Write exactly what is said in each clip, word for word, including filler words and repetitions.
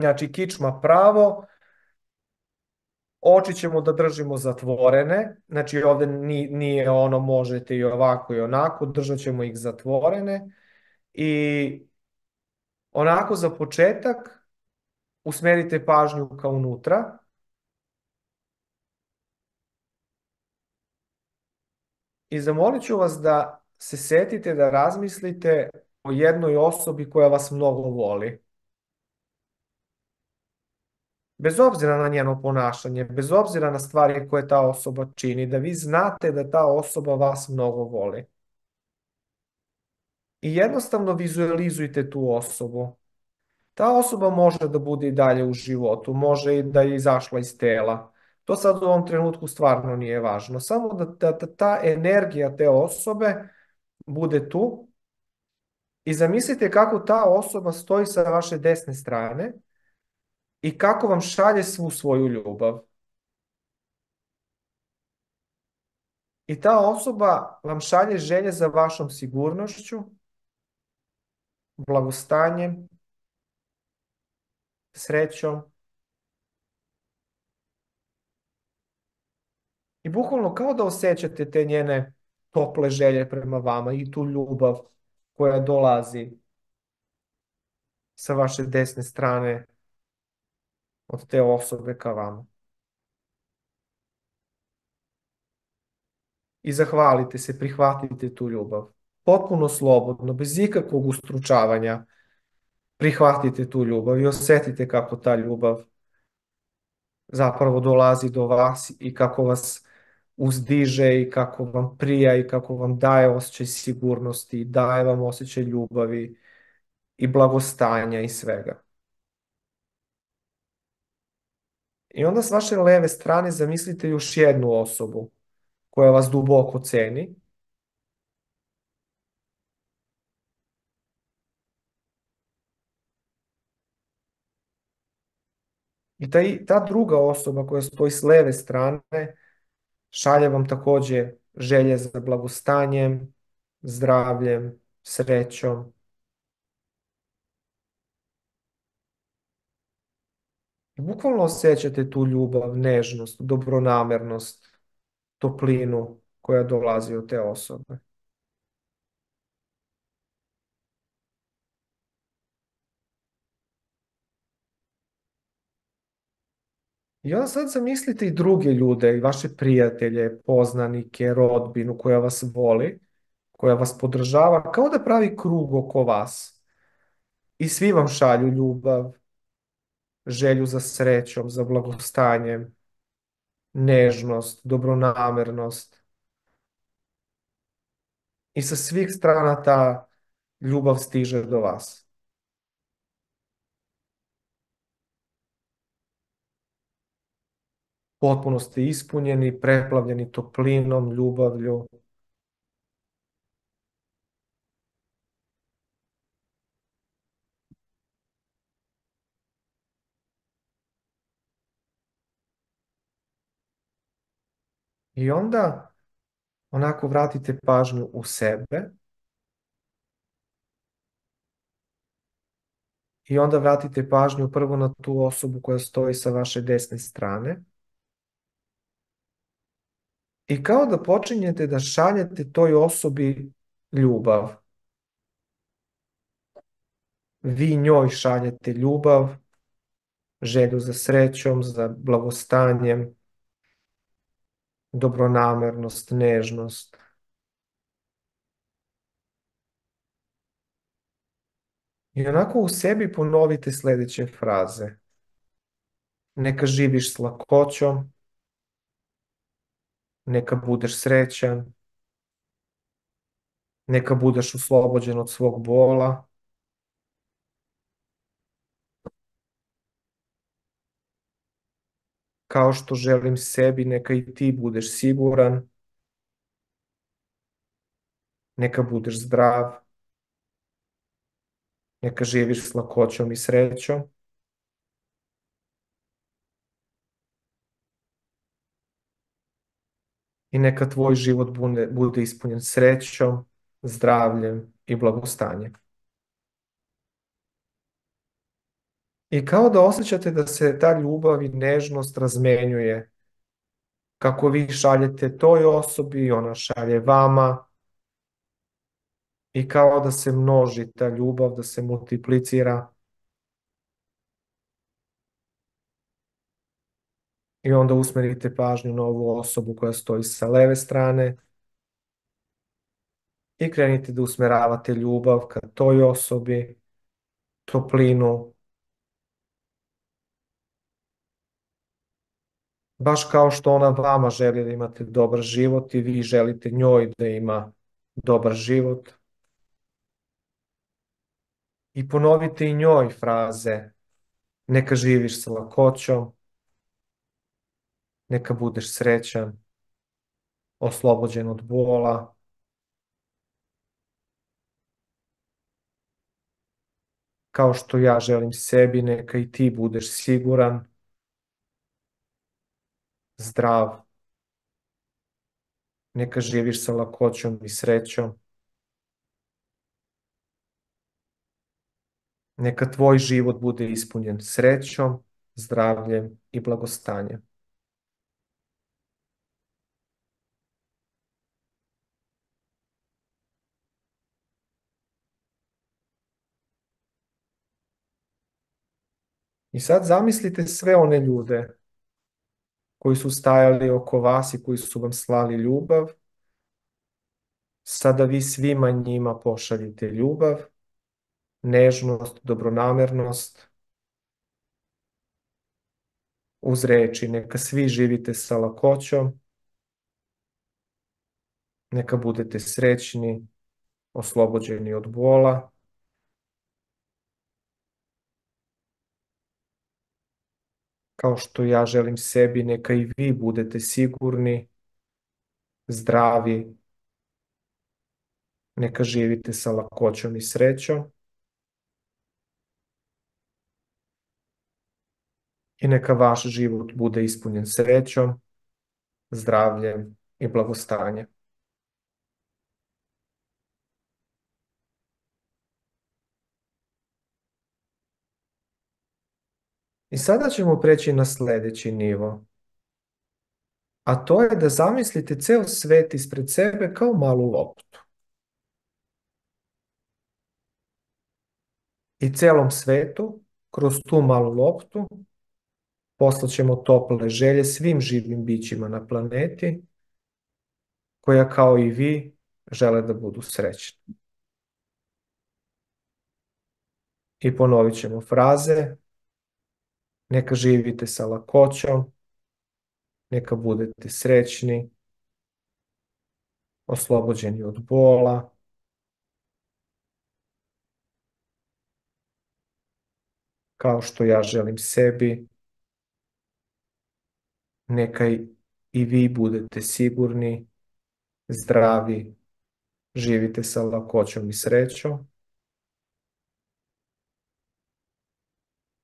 Znači, kičma pravo, oči ćemo da držimo zatvorene, znači ovdje ni- nije ono možete i ovako i onako, držat ćemo ih zatvorene i onako za početak usmerite pažnju ka unutra i zamolit ću vas da se setite da razmislite o jednoj osobi koja vas mnogo voli. Bez obzira na njeno ponašanje, bez obzira na stvari koje ta osoba čini, da vi znate da ta osoba vas mnogo voli. I jednostavno vizualizujte tu osobu. Ta osoba može da bude i dalje u životu, može i da je izašla iz tela. To sad u ovom trenutku stvarno nije važno. Samo da, da, da ta energija te osobe bude tu i zamislite kako ta osoba stoji sa vaše desne strane i kako vam šalje svu svoju ljubav. I ta osoba vam šalje želje za vašom sigurnošću, blagostanjem, srećom. I bukvalno kao da osjećate te njene tople želje prema vama i tu ljubav koja dolazi sa vaše desne strane od te osobe ka vama. I zahvalite se, prihvatite tu ljubav. Potpuno slobodno, bez ikakvog ustručavanja. Prihvatite tu ljubav i osjetite kako ta ljubav zapravo dolazi do vas i kako vas uzdiže i kako vam prija i kako vam daje osjećaj sigurnosti, daje vam osjećaj ljubavi i blagostanja i svega. I onda s vaše leve strane zamislite još jednu osobu koja vas duboko ceni i ta, ta druga osoba koja stoji s leve strane šalje vam također želje za blagostanjem, zdravljem, srećom. I bukvalno osjećate tu ljubav, nežnost, dobronamernost, toplinu koja dolazi od te osobe. I onda sad zamislite i druge ljude, i vaše prijatelje, poznanike, rodbinu koja vas voli, koja vas podržava, kao da pravi krug oko vas. I svi vam šalju ljubav, želju za srećom, za blagostanjem, nežnost, dobronamernost. I sa svih strana ta ljubav stiže do vas. Potpuno ste ispunjeni, preplavljeni toplinom, ljubavlju. I onda onako vratite pažnju u sebe i onda vratite pažnju prvo na tu osobu koja stoji sa vaše desne strane i kao da počinjete da šaljete toj osobi ljubav. Vi njoj šaljete ljubav, želju za srećom, za blagostanjem, dobronamernost, nežnost. I onako u sebi ponovite sljedeće fraze. Neka živiš s lakoćom, neka budeš srećan, neka budeš oslobođen od svog bola, kao što želim sebi, neka i ti budeš siguran, neka budeš zdrav, neka živiš s lakoćom i srećom. I neka tvoj život bude, bude ispunjen srećom, zdravljem i blagostanjem. I kao da osjećate da se ta ljubav i nežnost razmenjuje. Kako vi šaljete toj osobi, ona šalje vama. I kao da se množi ta ljubav, da se multiplicira. I onda usmerite pažnju na ovu osobu koja stoji sa leve strane. I krenite da usmeravate ljubav ka toj osobi, toplinu, baš kao što ona vama želi da imate dobar život i vi želite njoj da ima dobar život. I ponovite i njoj fraze: neka živiš sa lakoćom, neka budeš srećan, oslobođen od bola, kao što ja želim sebi, neka i ti budeš siguran, zdrav, neka živiš sa lakoćom i srećom. Neka tvoj život bude ispunjen srećom, zdravljem i blagostanjem. I sad zamislite sve one ljude koji su stajali oko vas i koji su vam slali ljubav. Sada vi svima njima pošaljite ljubav, nežnost, dobronamernost, uz reči: neka svi živite sa lakoćom, neka budete srećni, oslobođeni od bola, kao što ja želim sebi, neka i vi budete sigurni, zdravi, neka živite sa lakoćom i srećom i neka vaš život bude ispunjen srećom, zdravljem i blagostanjem. I sada ćemo preći na sljedeći nivo, a to je da zamislite ceo svet ispred sebe kao malu loptu. I celom svetu, kroz tu malu loptu, poslaćemo tople želje svim živim bićima na planeti, koja kao i vi žele da budu srećni. I ponovit ćemo fraze: neka živite sa lakoćom, neka budete srećni, oslobođeni od bola, kao što ja želim sebi, neka i vi budete sigurni, zdravi, živite sa lakoćom i srećom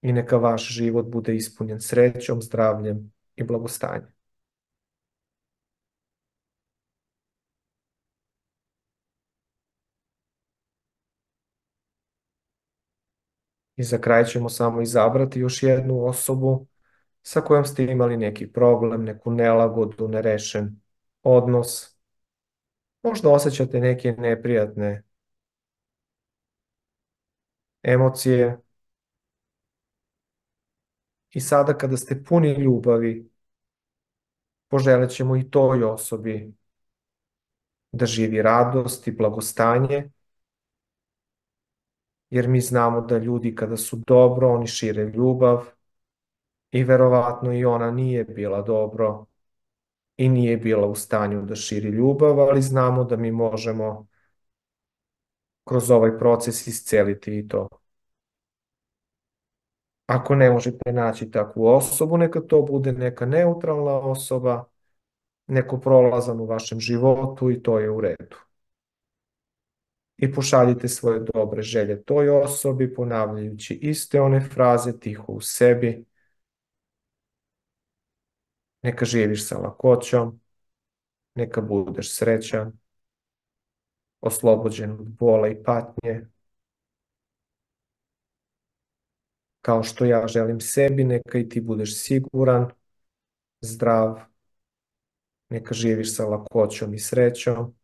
i neka vaš život bude ispunjen srećom, zdravljem i blagostanjem. I za kraj ćemo samo izabrati još jednu osobu sa kojom ste imali neki problem, neku nelagodu, nerešen odnos. Možda osjećate neke neprijatne emocije. I sada kada ste puni ljubavi, poželit ćemo i toj osobi da živi radost i blagostanje, jer mi znamo da ljudi kada su dobro, oni šire ljubav i verovatno i ona nije bila dobro i nije bila u stanju da širi ljubav, ali znamo da mi možemo kroz ovaj proces isceliti i to. Ako ne možete naći takvu osobu, neka to bude neka neutralna osoba, neko prolazan u vašem životu i to je u redu. I pošaljite svoje dobre želje toj osobi, ponavljajući iste one fraze tiho u sebi. Neka živiš sa lakoćom, neka budeš srećan, oslobođen od bola i patnje, kao što ja želim sebi, neka i ti budeš siguran, zdrav, neka živiš sa lakoćom i srećom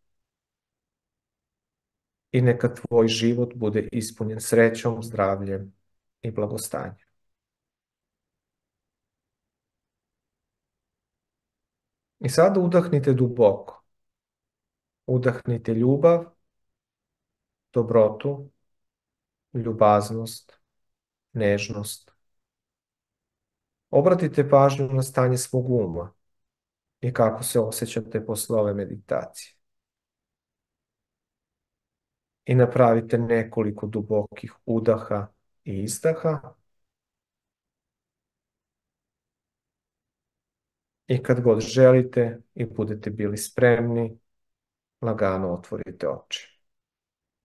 i neka tvoj život bude ispunjen srećom, zdravljem i blagostanjem. I sada udahnite duboko. Udahnite ljubav, dobrotu, ljubaznost, nežnost. Obratite pažnju na stanje svog uma i kako se osjećate posle ove meditacije. I napravite nekoliko dubokih udaha i izdaha. I kad god želite i budete bili spremni, lagano otvorite oči.